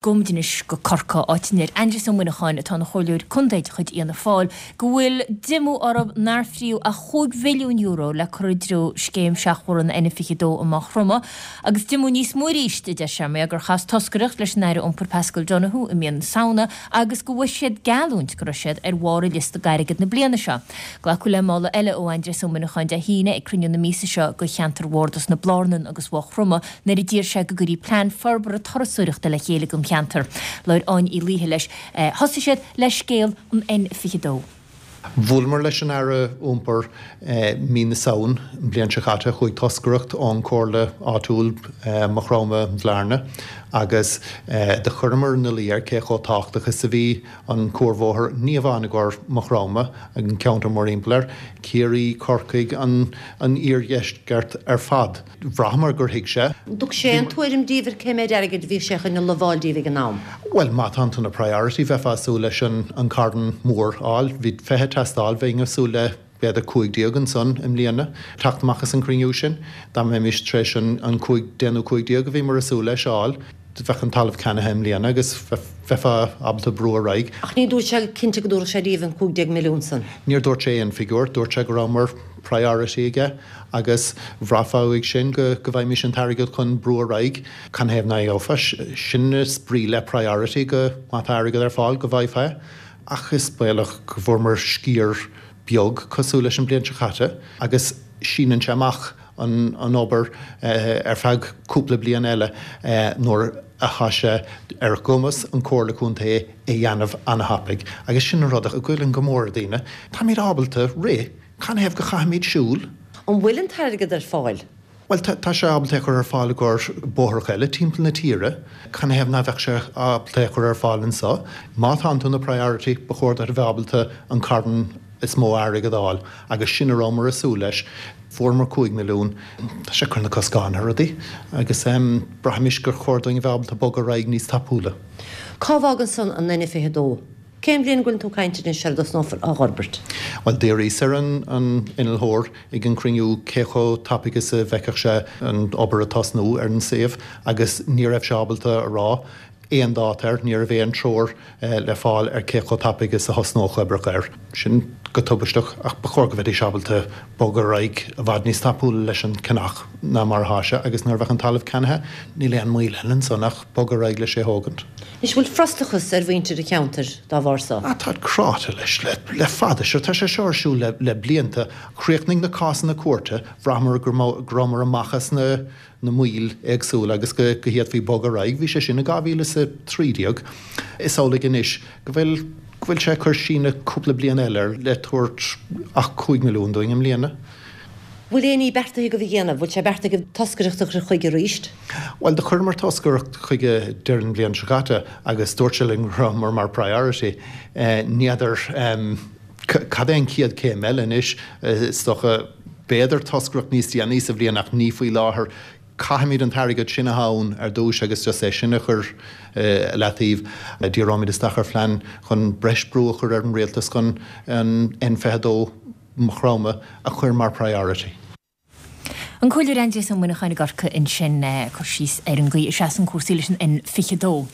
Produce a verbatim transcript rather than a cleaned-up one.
Gabhaimid anois go Corcaigh, áit a ndeir Aindrias Ó Muineacháin, atá ina chomhairleoir contae de chuid Fhianna Fáil, go bhfuil díomá orthu nár fríodh ach chúig mhilliún euro le cur i dtreo scéim seachbhóthar an N fiche dó i Maigh Chromtha. Agus díomá níos mó arís, a deir sé, mar gur chas toscaireacht leis an Aire Iompair Paschal Donohoe i mí na Samhna agus go bhfuair siad geallúint go raibh siad ar bharr an liosta d'airgead na bliana seo. Glacadh le moladh eile ó Aindrias Ó Muineacháin Dé hAoine ag cruinniú na míosa seo do cheantar Bhardas na Blarnan agus Mhaigh Chromtha nuair a d'iarr sé go gcuirí plean forbartha turasóireachta le chéile don cheantar. Labhair Áine Uí Laoithe leis. Thosaigh siad le scéal an N fiche dó. Bhuaileamar leis an Aire Iompair mí na Samhna an bhliain seo caite. Chuaigh toscaireacht ón Comhairle áitiúil Maigh Chromtha Bhlarna agus do chuireamar ina luí air cé chomh tábhachtach is a bhí an cuarbhóthar, ní amháin i gcomhair Maigh Chromtha, an ceantar mórthimpeall air, Ciarraí, Corcaigh, an iardheisceart ar fad. Bhraitheamar gur thuig sé. Thug sé aon tuairim daoibh ar cé méid airgid a bhí sé chun a lamháil daoibh ag an am? Bhuel, má tánn tú ina priority, bheifeá ag súil leis an carn mór a fháil. Bhí fiche ag teastáil, bheinn ag súil le b'fhéidir cúig déag ansan i mbliana. Teacht amach as an cruinniú sin, dá mbeimis tar éis an cúig, deich nó cúig déag a bhíomar ag súil leis a fháil, bheadh an talamh ceannaithe i mbliana agus bheifeá ábalta brú ar aghaidh. Ach ní dúirt sé cinnte go dtabharfadh sé daoibh an cúig déag milliún san? Níor dúirt sé aon figiúr. Dúirt sé go rabhamar priority aige agus bhraithfeá uaidh sin go go bhfaighimís an t-airgead chun brú ar aghaidh. Canathaobh nach bhfaighfeá? Sin is brí le priority, go má tá airgead ar fáil go bhfaighfeá é. Ach is baolach go bhfuaireamar sciar beag cosúil leis an bliain seo caite agus síneann sé amach an an obair ar feadh cúpla bliain eile nuair atá sé ar gcumas an Comhairle Contae é dhéanamh an-thapaidh. Agus sin an rud a ghoilleann go mór ar daoine. Táimid ábalta rith, canathaobh go chaithfimid siúl? An bhfuil an t-airgead ar fáil? Bhuel, tá sé ábalta é a chur ar fáil i gcomhair bóithreacha eile timpeall na tíre. Canathaobh ná bheadh sé ábalta é a chur ar fáil anseo? Má tánn tú ina priority, ba chóir duit a bheith ábalta an carn is mó airgead a fháil agus sin a rabhamar ag súil leis. Fuaireamar cúig milliún. Tá sé ag cur na coscáin ar rudaí agus braithimid gur chóir dúinn a bheith ábalta bogadh ar aghaidh níos tapúla. Cá bhfágann san an N fiche dó? Cén bhliain go bhfuileann tú ag caint anois ar a dtosnófar á fhorbairt? Bhuel, d'fhiafraíos ar an innealtóir ag an cruinniú cé chomh tapaidh is a bhfeicfeadh sé an obair ag tosnú ar an suíomh agus ní raibh sé ábalta a rá aon dáta air, ní raibh aon treoir le fáil ar cé chomh tapaidh is a thosnódh oibreacha air. Sin go tubaisteach ach ba chóir go mbeidís ábalta bogadh ar aghaidh i bhfad níos tapúla leis an ceannach ná mar atá sé agus nuair a bheadh an talamh ceannaithe níl aon moill eile ansan ach bogadh ar aghaidh leis é thógaint. Anois, bhfuil frustrachas ar mhuintir an cheantair dá bharr so? Ah, táid cráite leis le fada. Sure, tá sé seo ar siúl le blianta. Chríochnaigh na cásanna cúirte, bhraitheamar go rabhamar amach as na na moill éagsúla agus go bhféadfaí bogadh ar aghaidh. Bhí sé sin i dhá mhíle is a trí déag. Is amhlaidh anois go bhfuil go bhfuil sé ag cur síneadh cúpla bliain eile air le tabhairt ach cúig milliún dúinn i mbliana. Bhfuil aon ní beartaithe agaibh a dhéanamh? Bhfuil sé beartaithe agaibh toscaireacht a chur chuige arís? Bhuel, do chuireamar toscaireacht chuige deireadh na bliana seo caite agus dúirt sé linn go rabhamar mar priority. Ní fheadar cad é an chéad chéim eile anois. Is dócha, b'fhéidir toscaireacht níos déanaí sa bhliain ach ní faoi láthair. Caithfimid an t-airgead sin atá ann ar dtús agus just é sin a chur i leataobh. Díreoimid isteach ar phlean chun breis brú a chur ar an rialtas chun an N fiche dó Maigh Chromtha a chur mar priority. An Comhairleoir Aindrias Ó Muineacháin i gCorcaigh ansin ag cur síos ar an gcaoi a seasann cúrsaí leis an N fiche dó.